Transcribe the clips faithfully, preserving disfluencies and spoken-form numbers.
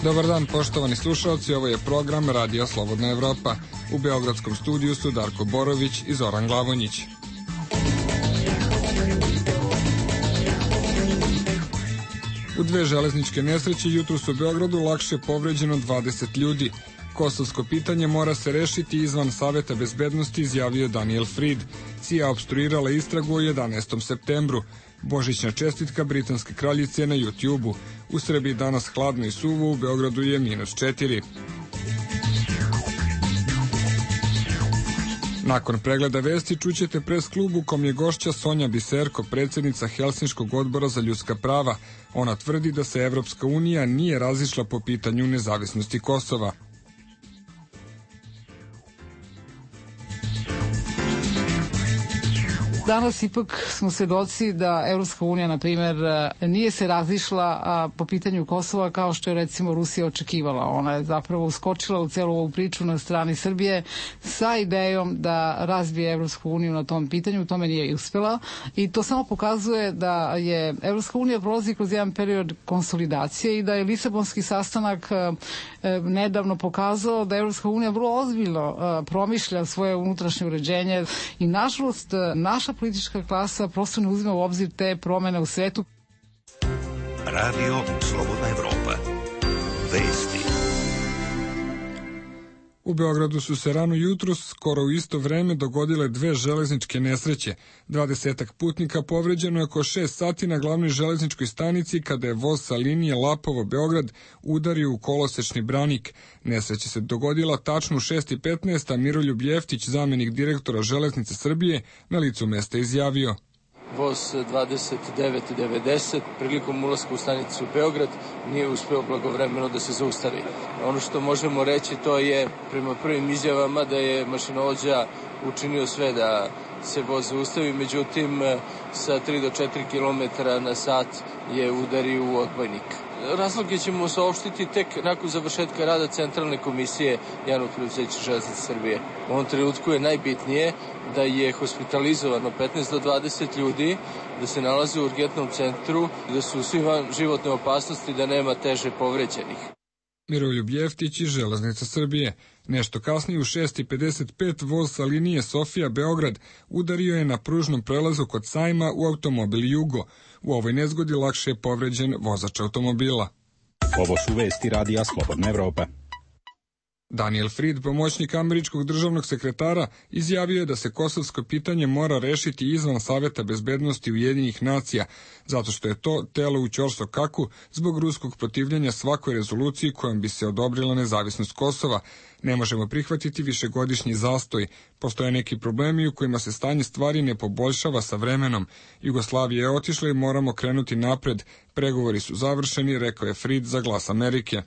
Dobar dan, poštovani slušalci, ovo je program Radija Slobodna Evropa. U beogradskom studiju su Darko Borović i Zoran Glavonjić. U dve železničke nesreće jutros u Beogradu lakše povređeno dvadeset ljudi. Kosovsko pitanje mora se rešiti izvan Saveta bezbednosti, izjavio Daniel Fried. C I A opstruirala istragu o jedanaestom septembru. Božićna čestitka britanske kraljice na YouTube-u. U Srbiji danas hladno i suvo, u Beogradu je minus četiri. Nakon pregleda vesti čućete pres klubu kom je gošća Sonja Biserko, predsjednica Helsinškog odbora za ljudska prava. Ona tvrdi da se Evropska unija nije razišla po pitanju nezavisnosti Kosova. Danas ipak smo svedoci da Evropska unija, na primjer, nije se razišla po pitanju Kosova kao što je recimo Rusija očekivala. Ona je zapravo uskočila u celu ovu priču na strani Srbije sa idejom da razbije Evropsku uniju na tom pitanju. Tome nije uspela i to samo pokazuje da je Evropska unija prolazi kroz jedan period konsolidacije i da je Lisabonski sastanak nedavno pokazao da Evropska unija vrlo ozbiljno promišlja svoje unutrašnje uređenje i nažalost naša politička klasa prosto ne uzima u obzir te promene u svetu. Radio Slobodna Evropa. Vesti. U Beogradu su se rano jutros, skoro u isto vreme, dogodile dve železničke nesreće. Dvadesetak putnika povređeno je oko šest sati na glavnoj železničkoj stanici kada je voz sa linije Lapovo-Beograd udario u kolosečni branik. Nesreća se dogodila tačno u šest i petnaest, a Miroljub Jeftić, zamenik direktora Železnice Srbije, na licu mesta izjavio: Voz dvadeset devet devedeset prilikom ulaska u stanicu Beograd nije uspeo blagovremeno da se zaustavi. Ono što možemo reći to je prema prvim izjavama da je mašinovođa učinio sve da se voz zaustavi, međutim sa tri do četiri kilometra na sat je udario u odbojnik. Razloge ćemo saopštiti tek nakon završetka rada Centralne komisije Javnog preduzeća Železnice Srbije. U ovom trenutku je najbitnije da je hospitalizovano petnaest do dvadeset ljudi, da se nalaze u urgentnom centru, da su svi van životne opasnosti, da nema teže povređenih. Miroljub Jeftić iz Železnica Srbije. Nešto kasnije u šest i pedeset pet voz sa linije Sofija-Beograd udario je na pružnom prelazu kod Sajma u automobil Jugo. U ovoj nezgodi lakše je povređen vozač automobila. Ovo su vesti Radija Slobodna Evropa. Daniel Fried, pomoćnik američkog državnog sekretara, izjavio je da se kosovsko pitanje mora rešiti izvan Saveta bezbednosti Ujedinjenih nacija, zato što je to telo u ćorsokaku zbog ruskog protivljenja svakoj rezoluciji kojom bi se odobrila nezavisnost Kosova. Ne možemo prihvatiti višegodišnji zastoj. Postoje neki problemi u kojima se stanje stvari ne poboljšava sa vremenom. Jugoslavija je otišla i moramo krenuti napred. Pregovori su završeni, rekao je Fried za Glas Amerike.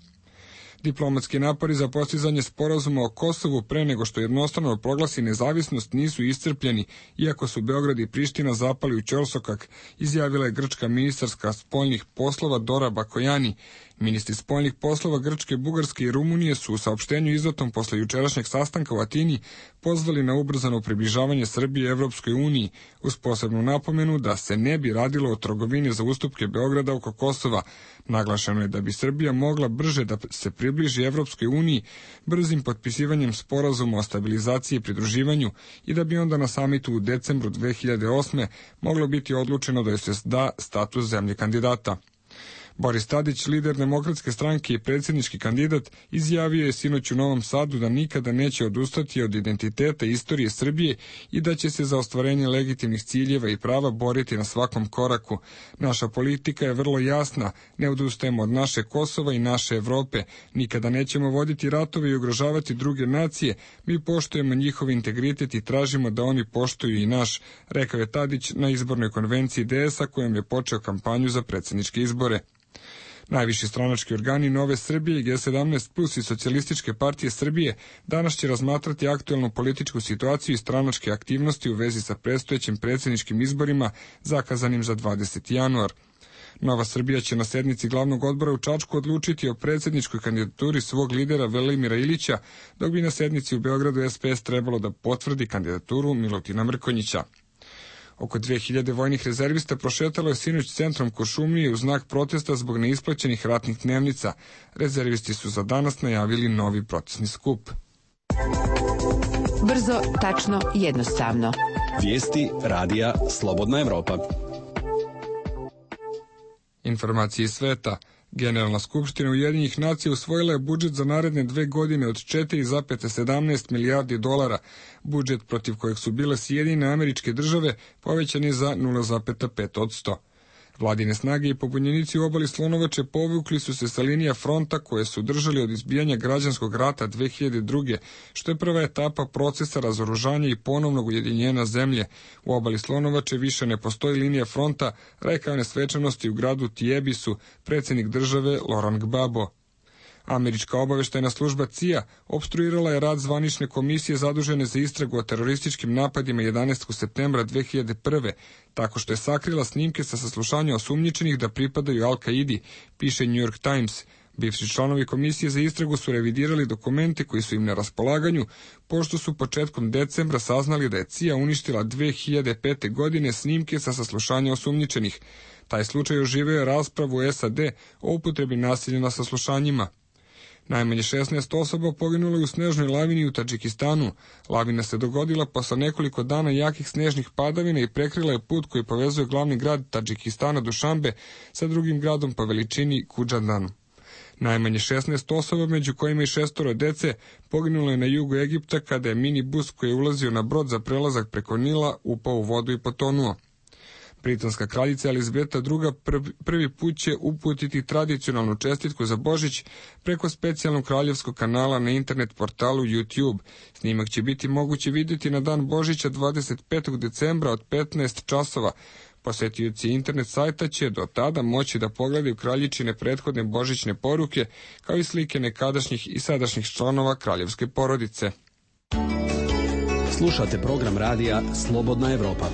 Diplomatski napori za postizanje sporazuma o Kosovu pre nego što jednostrano proglasi nezavisnost nisu iscrpljeni, iako su Beograd i Priština zapali u ćorsokak, izjavila je grčka ministarska spoljnih poslova Dora Bakojani. Ministri spoljnih poslova Grčke, Bugarske i Rumunije su u saopštenju izdatom posle jučerašnjeg sastanka u Atini pozvali na ubrzano približavanje Srbije Evropskoj uniji, uz posebnu napomenu da se ne bi radilo o trgovini za ustupke Beograda oko Kosova. Naglašeno je da bi Srbija mogla brže da se približi Evropskoj uniji brzim potpisivanjem sporazuma o stabilizaciji i pridruživanju i da bi onda na samitu u decembru dve hiljade osme moglo biti odlučeno da joj se da status zemlje kandidata. Boris Tadić, lider Demokratske stranke i predsjednički kandidat, izjavio je sinoć u Novom Sadu da nikada neće odustati od identiteta i istorije Srbije i da će se za ostvarenje legitimnih ciljeva i prava boriti na svakom koraku. Naša politika je vrlo jasna, ne odustajemo od naše Kosova i naše Evrope, nikada nećemo voditi ratove i ugrožavati druge nacije, mi poštujemo njihov integritet i tražimo da oni poštuju i naš, rekao je Tadić na izbornoj konvenciji D S-a kojom je počeo kampanju za predsjedničke izbore. Najviši stranački organi Nove Srbije, G sedamnaest plus i Socijalističke partije Srbije danas će razmatrati aktuelnu političku situaciju i stranačke aktivnosti u vezi sa predstojećim predsjedničkim izborima zakazanim za dvadeseti januar. Nova Srbija će na sednici glavnog odbora u Čačku odlučiti o predsjedničkoj kandidaturi svog lidera Velimira Ilića, dok bi na sednici u Beogradu S P S trebalo da potvrdi kandidaturu Milutina Mrkonjića. Oko dve hiljade vojnih rezervista prošetalo je sinoć centrom Kuršumlije u znak protesta zbog neisplaćenih ratnih dnevnica. Rezervisti su za danas najavili novi protestni skup. Brzo, tačno, jednostavno. Vijesti radija Slobodna Evropa. Informacije iz sveta. Generalna skupština Ujedinjenih nacija usvojila je budžet za naredne dve godine od četiri zarez sedamnaest milijardi dolara. Budžet protiv kojeg su bile Sjedinjene Američke Države povećan je za nula zarez pet posto. Vladine snage i pobunjenici u obali Slonovače povukli su se sa linija fronta koje su držali od izbijanja građanskog rata dve hiljade druge. što je prva etapa procesa razoružanja i ponovnog ujedinjenja zemlje. U obali Slonovače više ne postoji linija fronta, rekao je svečanosti u gradu Tijebisu predsjednik države Laurent Gbagbo. Američka obaveštajna služba C I A opstruirala je rad zvanične komisije zadužene za istragu o terorističkim napadima jedanaestog septembra dve hiljade prve. tako što je sakrila snimke sa saslušanja osumnjičenih da pripadaju Al-Kaidi, piše New York Times. Bivši članovi komisije za istragu su revidirali dokumente koji su im na raspolaganju, pošto su početkom decembra saznali da je C I A uništila dve hiljade pete. godine snimke sa saslušanja osumnjičenih. Taj slučaj oživio je raspravu u S A D o upotrebi nasilja na saslušanjima. Najmanje šesnaest osoba poginulo je u snežnoj lavini u Tadžikistanu. Lavina se dogodila posle nekoliko dana jakih snežnih padavina i prekrila je put koji povezuje glavni grad Tadžikistana Dušanbe sa drugim gradom po veličini Kudžandan. Najmanje šesnaest osoba, među kojima i šestoro dece, poginulo je na jugu Egipta kada je minibus koji je ulazio na brod za prelazak preko Nila upao u vodu i potonuo. Britanska kraljica Elizabeta druga. prvi put će uputiti tradicionalnu čestitku za Božić preko specijalnog kraljevskog kanala na internet portalu YouTube. Snimak će biti moguće vidjeti na dan Božića dvadeset petog decembra od petnaest časova. Posetioci internet sajta će do tada moći da pogledaju kraljičine prethodne božićne poruke, kao i slike nekadašnjih i sadašnjih članova kraljevske porodice. Slušate program radija Slobodna Evropa.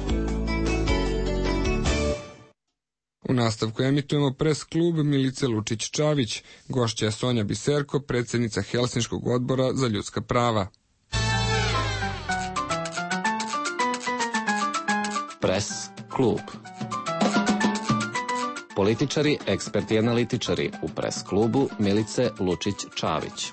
U nastavku emitujemo pres klub Milice Lučić-Čavić. Gošća je Sonja Biserko, predsjednica Helsinškog odbora za ljudska prava. Pres klub. Političari, eksperti i analitičari u pres klubu Milice Lučić-Čavić.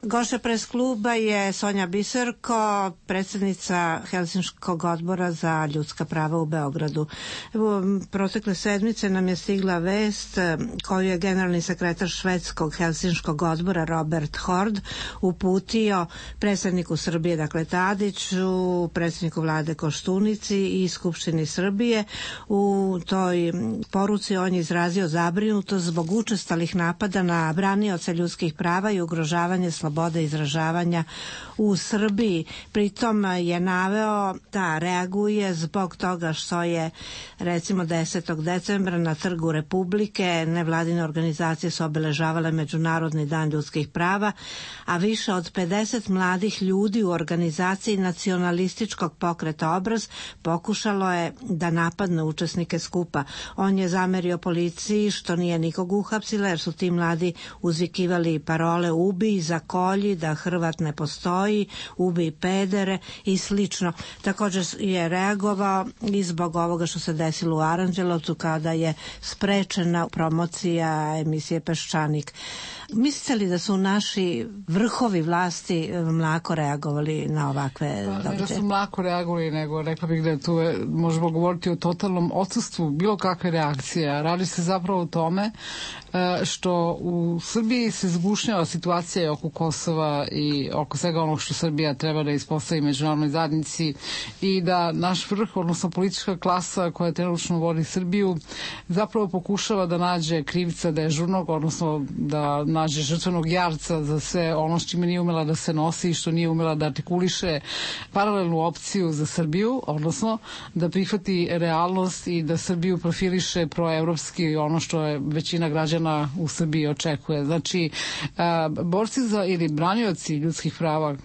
Gošća pres kluba je Sonja Biserko, predsjednica Helsinškog odbora za ljudska prava u Beogradu. Evo, protekle sedmice nam je stigla vest koju je generalni sekretar švedskog Helsinškog odbora Robert Hord uputio predsjedniku Srbije, dakle Tadiću, predsjedniku vlade Koštunici i Skupštini Srbije. U toj poruci on je izrazio zabrinutost zbog učestalih napada na branioce ljudskih prava i ugrožavanje slobode izražavanja u Srbiji. Pritom je naveo da reaguje zbog toga što je recimo desetog decembra na Trgu Republike nevladine organizacije su obeležavale Međunarodni dan ljudskih prava, a više od pedeset mladih ljudi u organizaciji nacionalističkog pokreta Obraz pokušalo je da napadne učesnike skupa. On je zamerio policiji što nije nikog uhapsila jer su ti mladi uzvikivali parole ubi, zakolji, da Hrvat ne postoji, ubi pedere i slično. Također je reagovao i zbog ovoga što se desilo u Aranđelovcu kada je sprečena promocija emisije Peščanik. Mislite li da su naši vrhovi vlasti mlako reagovali na ovakve događaje? Ne da su mlako reagovali, nego rekla bih da je tu možemo govoriti o totalnom odsustvu bilo kakve reakcije. Radi se zapravo o tome što u Srbiji se zgušnjava situacija oko Kosova i oko svega onog što Srbija treba da ispostavi međunarodnoj zajednici i da naš vrh, odnosno politička klasa koja trenutno vodi Srbiju, zapravo pokušava da nađe krivca dežurnog, odnosno da nađe žrtvenog jarca za sve ono što čime nije umela da se nosi i što nije umela da artikuliše paralelnu opciju za Srbiju, odnosno da prihvati realnost i da Srbiju profiliše proevropski, ono što je većina građana u Srbiji očekuje. Znači, borci za ili branioci ljudskih prava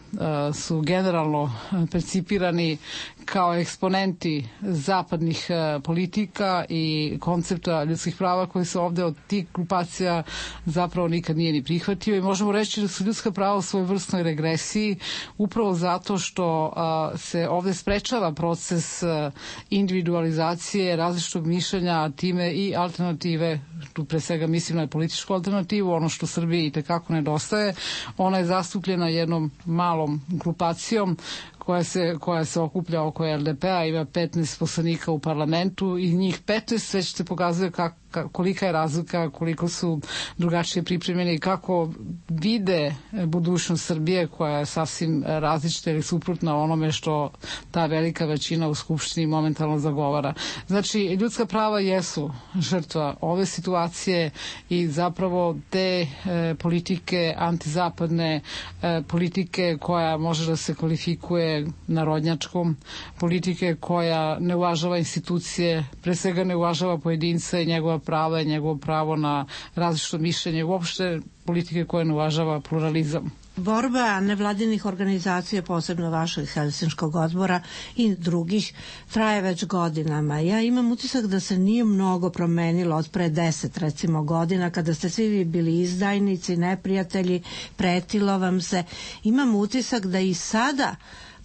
su generalno percipirani kao eksponenti zapadnih politika i koncepta ljudskih prava koji se ovde od tih grupacija zapravo nikad nije ni prihvatio i možemo reći da su ljudska prava u svojoj vrstnoj regresiji upravo zato što a, se ovde sprečava proces a, individualizacije različitog mišljenja, a time i alternative, tu pre svega mislim na političku alternativu, ono što Srbiji i tekako nedostaje. Ona je zastupljena jednom malom grupacijom koja se, koja se okuplja oko L D P-a, ima petnaest poslanika u parlamentu i njih petnaest već se pokazuje kak, kolika je razlika, koliko su drugačije pripremljeni i kako vide budućnost Srbije koja je sasvim različita ili suprotna onome što ta velika većina u Skupštini momentalno zagovara. Znači, ljudska prava jesu žrtva ove situacije i zapravo te e, politike antizapadne, e, politike koja može da se kvalifikuje narodnjačkom, politike koja ne uvažava institucije, pre svega ne uvažava pojedinca i njegova prava i njegovo pravo na različito mišljenje, uopšte politike koje ne uvažava pluralizam. Borba nevladinih organizacija, posebno vašeg Helsinškog odbora i drugih, traje već godinama. Ja imam utisak da se nije mnogo promenilo od pre deset, recimo, godina, kada ste svi vi bili izdajnici, neprijatelji, pretilo vam se. Imam utisak da i sada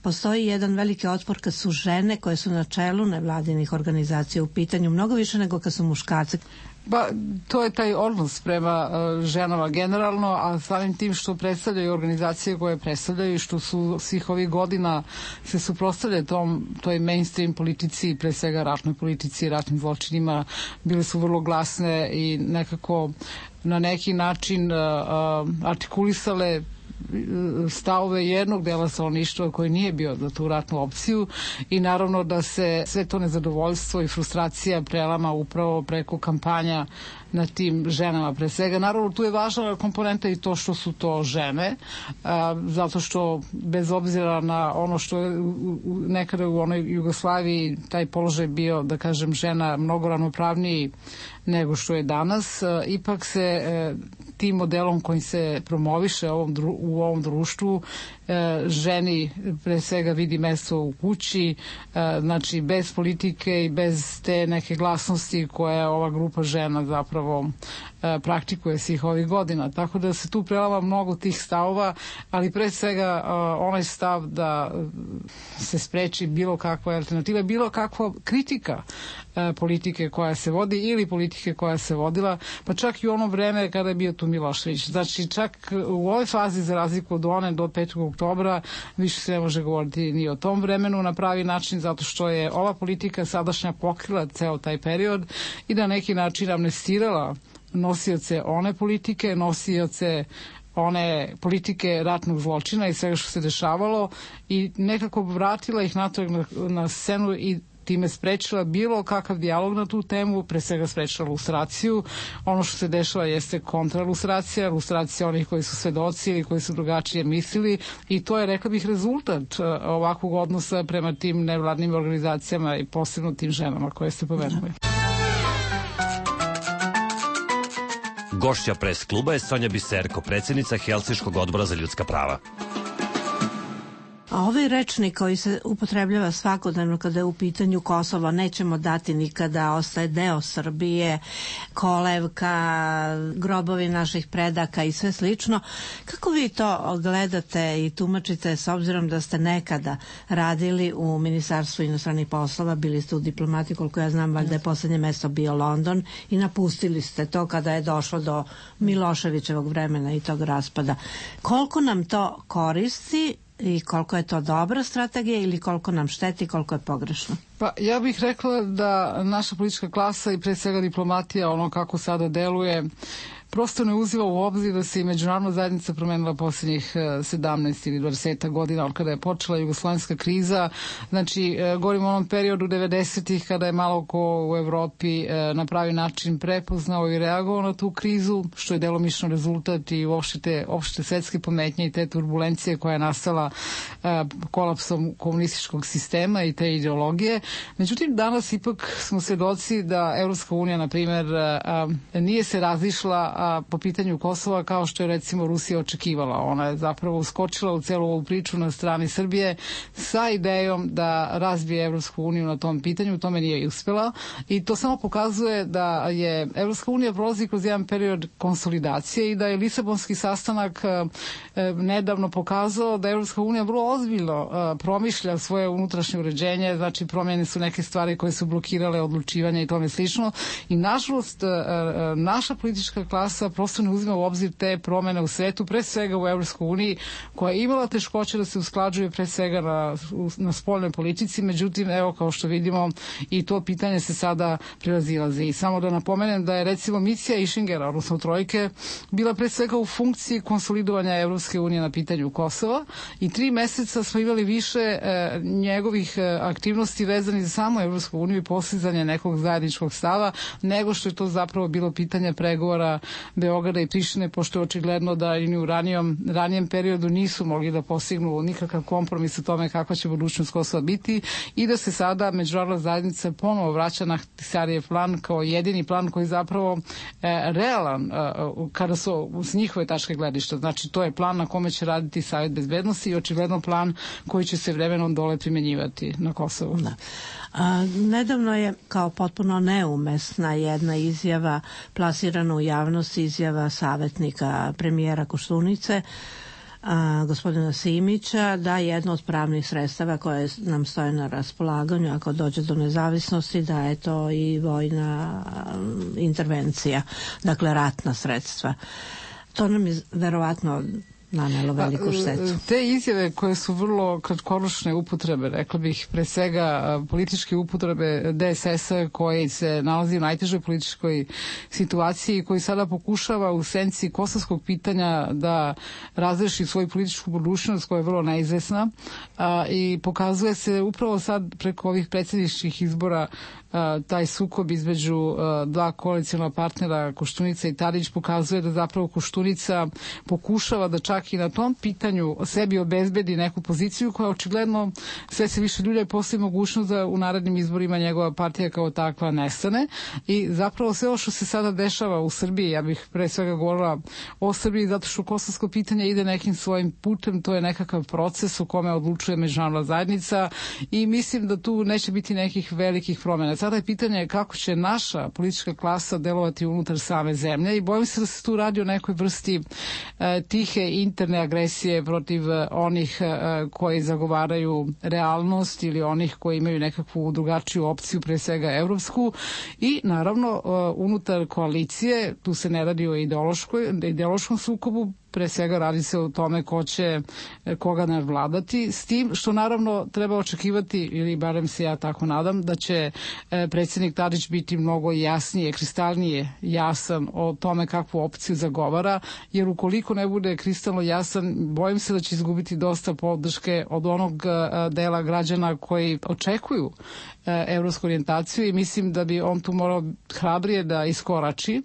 postoji jedan veliki otpor kad su žene koje su na čelu nevladinih organizacija u pitanju, mnogo više nego kad su muškarci. Ba, to je taj odnos prema uh, ženama generalno, a samim tim što predstavljaju organizacije koje predstavljaju i što su svih ovih godina se suprotstavljaju tom, toj mainstream politici, pre svega ratnoj politici i ratnim zločinima, bile su vrlo glasne i nekako na neki način uh, uh, artikulisale stavove jednog dela stanovništva koji nije bio za tu ratnu opciju i naravno da se sve to nezadovoljstvo i frustracija prelama upravo preko kampanja na tim ženama pre svega. Naravno, tu je važna komponenta i to što su to žene, a, zato što bez obzira na ono što je u, u, nekada u onoj Jugoslaviji taj položaj bio, da kažem, žena mnogo ravnopravniji nego što je danas, a, ipak se e, tim modelom kojim se promoviše ovom dru, u ovom društvu e, ženi pre svega vidi mesto u kući, e, znači bez politike i bez te neke glasnosti koje ova grupa žena zapravo e, praktikuje svih ovih godina. Tako da se tu prelama mnogo tih stavova, ali pre svega e, onaj stav da se spreči bilo kakva alternativa, bilo kakva kritika e, politike koja se vodi ili politike koja se vodila, pa čak i u ono vreme kada je bio tu Milošević. Znači čak u ovoj fazi, za razliku od one do petog oktobra, više se ne može govoriti ni o tom vremenu na pravi način, zato što je ova politika sadašnja pokrila ceo taj period i na neki način amnestirala nosioce one politike, nosioce one politike ratnog zločina i svega što se dešavalo i nekako vratila ih natrag na, na scenu i time sprečila bilo kakav dijalog na tu temu, pre svega sprečila lustraciju. Ono što se dešava jeste kontralustracija, lustracija onih koji su svedoci ili koji su drugačije mislili i to je, rekla bih, rezultat ovakvog odnosa prema tim nevladnim organizacijama i posebno tim ženama koje ste pomenuli. Gošća pres kluba je Sonja Biserko, predsjednica Helsinškog odbora za ljudska prava. A ovaj rečnik koji se upotrebljava svakodnevno kada je u pitanju Kosovo, nećemo dati nikada, ostaje deo Srbije, kolevka, grobovi naših predaka i sve slično. Kako vi to gledate i tumačite s obzirom da ste nekada radili u Ministarstvu inostranih poslova, bili ste u diplomati, koliko ja znam, valjda je poslednje mesto bio London i napustili ste to kada je došlo do Miloševićevog vremena i tog raspada. Koliko nam to koristi i koliko je to dobra strategija ili koliko nam šteti i koliko je pogrešno? Pa ja bih rekla da naša politička klasa i pre svega diplomatija, ono kako sada deluje, prosto ne uziva u obzir da se i međunarodna zajednica promenila posljednjih sedamnaest ili dvadeset godina od kada je počela jugoslovenska kriza. Znači, govorimo o onom periodu devedesetih kada je malo ko u Evropi na pravi način prepoznao i reagovao na tu krizu, što je delomično rezultat i uopšte opšte svetske pometnje i te turbulencije koja je nastala kolapsom komunističkog sistema i te ideologije. Međutim, danas ipak smo svedoci da Evropska unija, na primjer, nije se razišla a, po pitanju Kosova kao što je recimo Rusija očekivala. Ona je zapravo uskočila u celu ovu priču na strani Srbije sa idejom da razbije Evropsku uniju na tom pitanju. Tome nije uspela i to samo pokazuje da je Evropska unija prolazi kroz jedan period konsolidacije i da je Lisabonski sastanak a, a, nedavno pokazao da Evropska unija vrlo ozbiljno a, promišlja svoje unutrašnje uređenje, znači promjene su neke stvari koje su blokirale odlučivanje i tome slično i nažalost a, a, naša politička klasa prosto ne uzima u obzir te promene u svetu, pre svega u Evropskoj uniji, koja je imala teškoće da se usklađuje pre svega na, na spoljnoj politici, međutim, evo, kao što vidimo, i to pitanje se sada prilazilazi. I samo da napomenem da je recimo misija Išingera, odnosno Trojke, bila pre svega u funkciji konsolidovanja Evropske unije na pitanju Kosova i tri meseca smo imali više e, njegovih e, aktivnosti vezani za samu Evropsku uniju i postizanje nekog zajedničkog stava, nego što je to zapravo bilo pitanje pregovora Beograda i Prištine, pošto je očigledno da i u ranijom, ranijem periodu nisu mogli da postignu nikakav kompromis o tome kakva će budućnost Kosova biti i da se sada međunarodna zajednica ponovo vraća na Ahtisarijev plan kao jedini plan koji je zapravo e, realan e, kada su s njihove tačke gledišta. Znači, to je plan na kome će raditi Savet bezbednosti i očigledno plan koji će se vremenom dole primenjivati na Kosovu. Da. A, nedavno je kao potpuno neumesna jedna izjava plasirana u javnosti, izjava savjetnika premijera Koštunice, a, gospodina Simića, da jedno od pravnih sredstava koje nam stoje na raspolaganju ako dođe do nezavisnosti, da je to i vojna intervencija, dakle ratna sredstva. To nam je verovatno nanelo veliku štetu. Te izjave koje su vrlo kratkoročne upotrebe, rekla bih pre svega političke upotrebe D S S-a koji se nalazi u najtežoj političkoj situaciji, koji sada pokušava u senci kosovskog pitanja da razreši svoju političku budućnost koja je vrlo neizvesna a, i pokazuje se upravo sad preko ovih predsjedničkih izbora a, taj sukob između a, dva koalicijona partnera Koštunica i Tadić pokazuje da zapravo Koštunica pokušava da čak i na tom pitanju sebi obezbedi neku poziciju koja očigledno sve se više ljudi postoji mogućnost da u narednim izborima njegova partija kao takva nestane i zapravo sve ovo što se sada dešava u Srbiji, ja bih pre svega govorila o Srbiji zato što kosovsko pitanje ide nekim svojim putem, to je nekakav proces u kome odlučuje međunarodna zajednica i mislim da tu neće biti nekih velikih promjena. Sada je pitanje kako će naša politička klasa delovati unutar same zemlje i bojim se da se tu radi o nekoj vrsti e, tihe interne agresije protiv onih koji zagovaraju realnost ili onih koji imaju nekakvu drugačiju opciju, pre svega evropsku i naravno unutar koalicije, tu se ne radi o ideološkoj, ideološkom sukobu, pre svega radi se o tome ko će koga nadvladati, s tim što naravno treba očekivati, ili barem se ja tako nadam, da će predsjednik Tadić biti mnogo jasnije, kristalnije jasan o tome kakvu opciju zagovara, jer ukoliko ne bude kristalno jasan, bojim se da će izgubiti dosta podrške od onog dela građana koji očekuju evropsku orijentaciju i mislim da bi on tu morao hrabrije da iskorači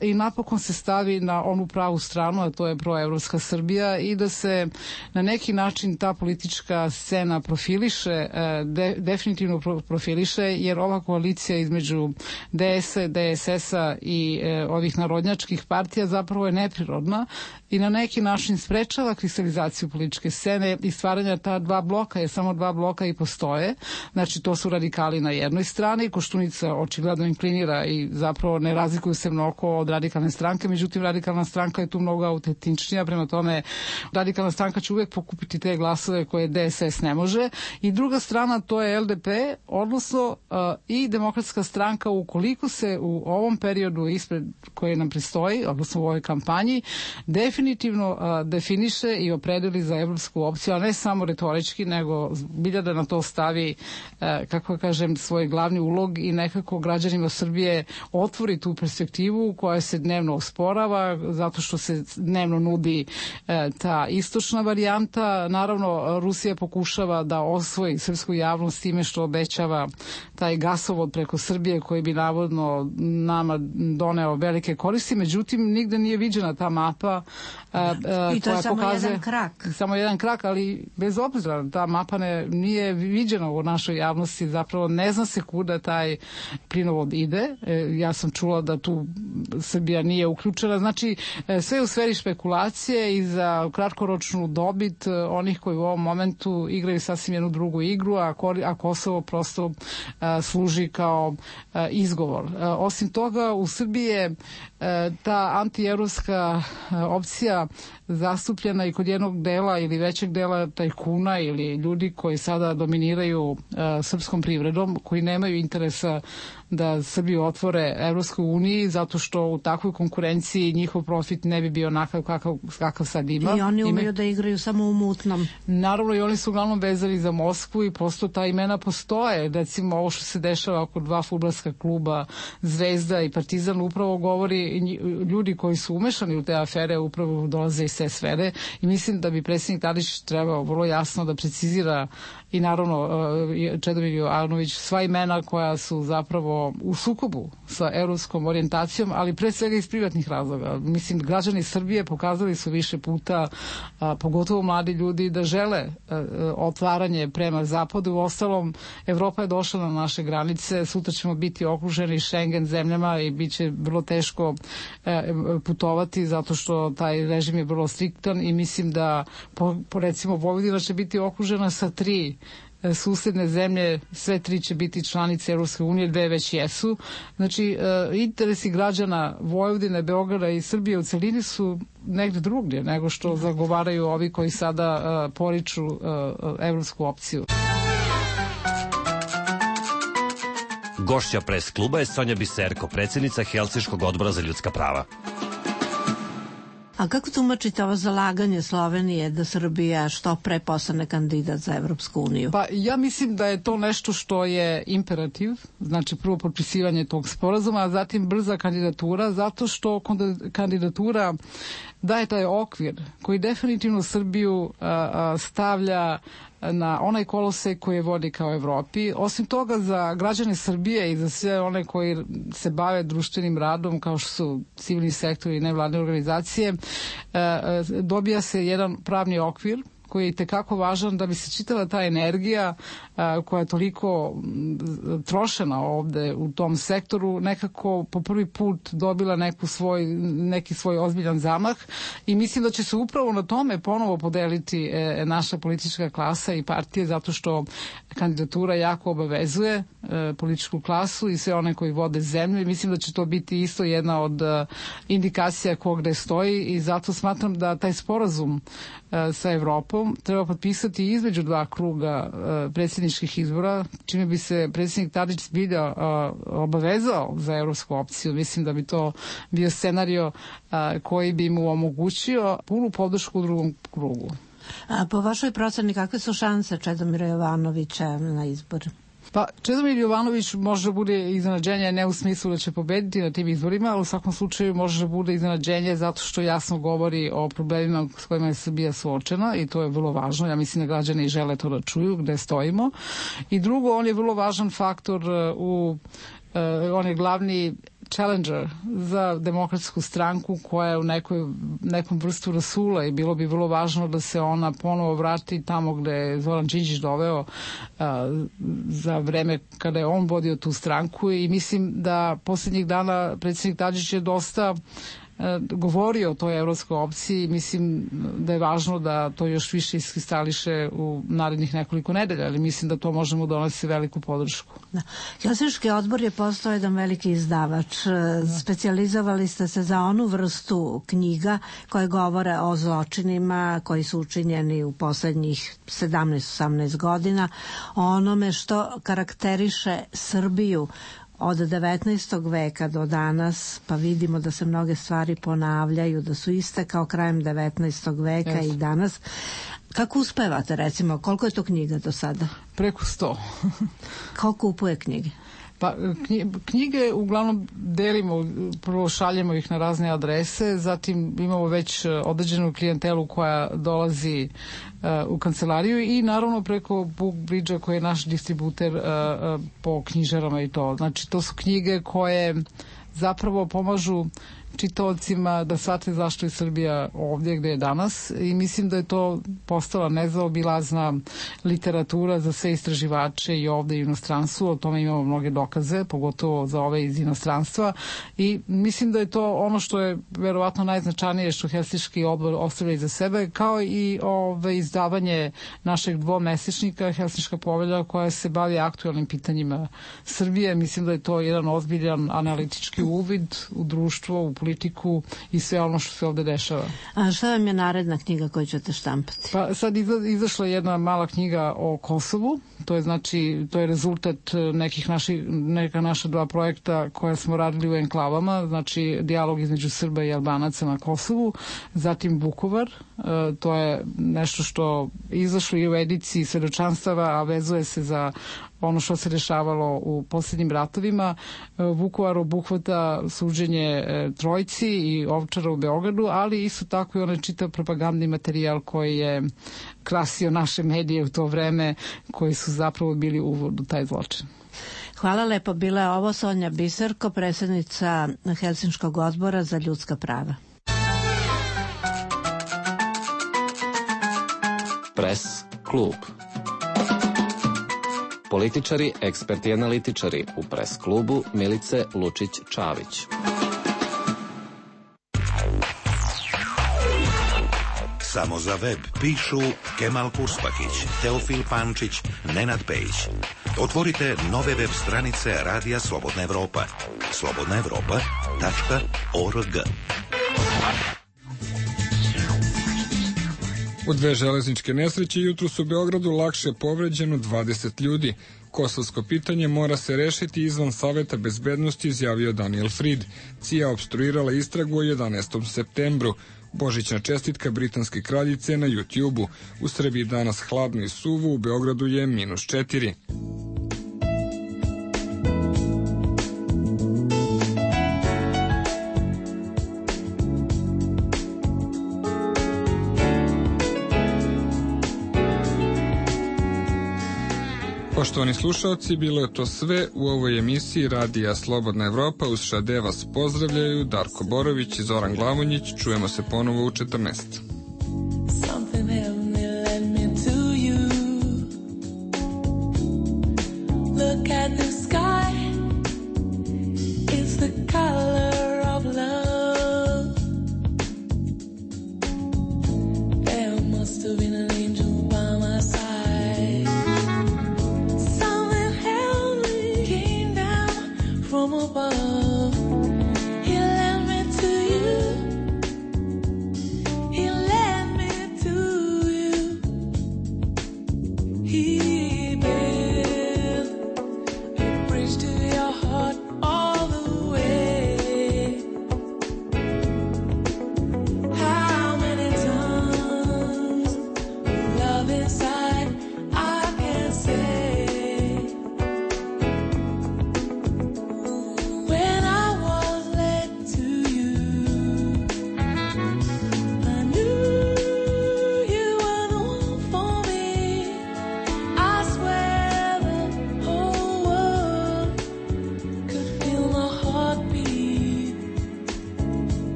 i napokon se stavi na onu pravu stranu, a to je proevropska Srbija i da se na neki način ta politička scena profiliše, de, definitivno profiliše, jer ova koalicija između D S-a, D S S-a i e, ovih narodnjačkih partija zapravo je neprirodna i na neki način sprečava kristalizaciju političke scene i stvaranja ta dva bloka, jer samo dva bloka i postoje. Znači, to su radikali na jednoj strani, Koštunica očigledno inklinira i zapravo ne razlikuju se mnogo od radikalne stranke, međutim radikalna stranka je tu mnogo autentičnija moćnija, prema tome Radikalna stranka će uvek pokupiti te glasove koje D S S ne može. I druga strana to je L D P, odnosno uh, i Demokratska stranka, ukoliko se u ovom periodu ispred koje nam pristoji, odnosno u ovoj kampanji, definitivno uh, definiše i opredeli za evropsku opciju, a ne samo retorički, nego bilja da na to stavi, uh, kako kažem, svoj glavni ulog i nekako građanima Srbije otvori tu perspektivu koja se dnevno osporava, zato što se dnevno nudi uh, ta istočna varijanta. Naravno, Rusija pokušava da osvoji srpsku javnost time što obećava taj gasovod preko Srbije koji bi navodno nama doneo velike koristi, međutim nigde nije viđena ta mapa a, a, i to je samo pokazuje, jedan krak. Samo jedan krak, ali bez obzira, ta mapa ne, nije viđena u našoj javnosti, zapravo ne zna se kuda taj plinovod ide. E, ja sam čula da tu Srbija nije uključena, znači sve u sferi špekulacije i za kratkoročnu dobit onih koji u ovom momentu igraju sasvim jednu drugu igru, a, a Kosovo prosto a, služi kao a, izgovor. A, osim toga, u Srbiji je a, ta antievropska opcija zastupljena i kod jednog dela ili većeg dela tajkuna ili ljudi koji sada dominiraju a, srpskom privredom, koji nemaju interesa da Srbiju otvore Evropskoj uniji, zato što u takvoj konkurenciji njihov profit ne bi bio onakav kakav, kakav sad ima. I oni umeju Ime... da igraju samo u mutnom. Naravno, i oni su uglavnom vezani za Moskvu i prosto ta imena postoje. Recimo, ovo što se dešava oko dva fudbalska kluba Zvezda i Partizan upravo govori, ljudi koji su umešani u te afere upravo dolaze iz te sfere i mislim da bi predsjednik Tadić trebao vrlo jasno da precizira i naravno Čedomir Jovanović sva imena koja su zapravo u sukobu sa evropskom orijentacijom, ali pre svega iz privatnih razloga. Mislim, građani Srbije pokazali su više puta, a, pogotovo mladi ljudi, da žele a, otvaranje prema zapadu. U ostalom, Evropa je došla na naše granice, sutra ćemo biti okruženi Schengen zemljama i bit će vrlo teško a, putovati zato što taj režim je vrlo striktan i mislim da po, po recimo Vojvodina će biti okružena sa tri susedne zemlje, sve tri će biti članice Evropske unije, dve već jesu. Znači, interesi građana Vojvodine, Beograda i Srbije u celini su negde drugdje nego što zagovaraju ovi koji sada poriču evropsku opciju. Gošća pres kluba je Sonja Biserko, predsjednica Helsinškog odbora za ljudska prava. A kako tumačite ovo zalaganje Slovenije da Srbija što pre postane kandidat za Evropsku uniju? Pa ja mislim da je to nešto što je imperativ, znači prvo potpisivanje tog sporazuma, a zatim brza kandidatura, zato što kandidatura daje taj okvir koji definitivno Srbiju a, a, stavlja na onaj kolosek koji je vodi kao Evropi. Osim toga, za građane Srbije i za sve one koji se bave društvenim radom, kao što su civilni sektori i nevladne organizacije, dobija se jedan pravni okvir koji je i tekako važan da bi se čitava ta energija a, koja je toliko trošena ovde u tom sektoru nekako po prvi put dobila neku svoj, neki svoj ozbiljan zamah i mislim da će se upravo na tome ponovo podeliti e, naša politička klasa i partije zato što kandidatura jako obavezuje e, političku klasu i sve one koji vode zemlju i mislim da će to biti isto jedna od e, indikacija ko gde stoji i zato smatram da taj sporazum e, sa Evropom treba potpisati između dva kruga uh, predsjedničkih izbora, čime bi se predsjednik Tadić zbilja uh, obavezao za evropsku opciju. Mislim da bi to bio scenario uh, koji bi mu omogućio punu podršku u drugom krugu. A po vašoj proceni kakve su šanse Čedomira Jovanovića na izbor? Pa Čedomir Jovanović može da bude iznenađenje ne u smislu da će pobediti na tim izborima, ali u svakom slučaju može da bude iznenađenje zato što jasno govori o problemima s kojima je Srbija suočena i to je vrlo važno. Ja mislim da građani žele to da čuju gde stojimo. I drugo, on je vrlo važan faktor u, uh, on je glavni challenger za demokratsku stranku koja je u nekoj, nekom vrstu rasula i bilo bi vrlo važno da se ona ponovo vrati tamo gde je Zoran Đinđić doveo a, za vreme kada je on vodio tu stranku i mislim da posljednjih dana predsjednik Tadić je dosta govori o toj evropskoj opciji. Mislim da je važno da to još više iskristališe u narednih nekoliko nedelja, ali mislim da to možemo donesti veliku podršku. Da. Helsinški odbor je postao jedan veliki izdavač. Da. Specijalizovali ste se za onu vrstu knjiga koje govore o zločinima koji su učinjeni u poslednjih sedamnaest osamnaest godina, o onome što karakteriše Srbiju od devetnaestog veka do danas, pa vidimo da se mnoge stvari ponavljaju, da su iste kao krajem devetnaestog veka yes. i danas. Kako uspevate, recimo, koliko je to knjiga do sada? Preko sto. Ko kupuje knjige? Pa knjige uglavnom delimo, prvo šaljemo ih na razne adrese, zatim imamo već određenu klijentelu koja dolazi uh, u kancelariju i naravno preko BookBridge-a koji je naš distributer uh, uh, po knjižarama i to. Znači to su knjige koje zapravo pomažu čitaocima da shvate zašto je Srbija ovdje gde je danas i mislim da je to postala nezaobilazna literatura za sve istraživače i ovde i u inostranstvu, o tome imamo mnoge dokaze, pogotovo za ove iz inostranstva i mislim da je to ono što je verovatno najznačajnije što Helsinški odbor ostavlja iza sebe, kao i ove izdavanje našeg dvomesečnika Helsinška povelja koja se bavi aktualnim pitanjima Srbije. Mislim da je to jedan ozbiljan analitički uvid u društvo, u politiku i sve ono što se ovde dešava. A šta vam je naredna knjiga koju ćete štampati? Pa sad iza, izašla je jedna mala knjiga o Kosovu, to je znači, to je rezultat nekih naših, neka naša dva projekta koje smo radili u enklavama, znači dijalog između Srba i Albanaca na Kosovu, zatim Vukovar, to je nešto što izašlo i u ediciji svedočanstava, a vezuje se za ono što se dešavalo u posljednjim ratovima. Vukovar obuhvata suđenje Trojci i Ovčara u Beogradu, ali isto tako i onaj čitav propagandni materijal koji je krasio naše medije u to vreme, koji su zapravo bili uvod u taj zločin. Hvala lepo. Bila je ovo Sonja Biserko, predsjednica Helsinškog odbora za ljudska prava. Press klub. Političari, eksperti i analitičari u Press klubu Milice Lučić-Čavić. Samo za web pišu Kemal Kurspakić, Teofil Pančić, Nenad Pejić. Otvorite nove web stranice Radija Slobodna Evropa. slobodna evropa tačka org. U dve železničke nesreće jutros u Beogradu lakše povređeno dvadeset ljudi. Kosovsko pitanje mora se rešiti izvan Saveta bezbednosti, izjavio Daniel Fried. C I A opstruirala istragu o jedanaestom septembru. Božićna čestitka britanske kraljice na YouTube-u. U Srbiji danas hladno i suvo, u Beogradu je minus četiri. Poštovani slušalci, bilo je to sve u ovoj emisiji Radija Slobodna Evropa. Uz Šade vas pozdravljaju Darko Borović i Zoran Glavonjić. Čujemo se ponovo u četrnaest.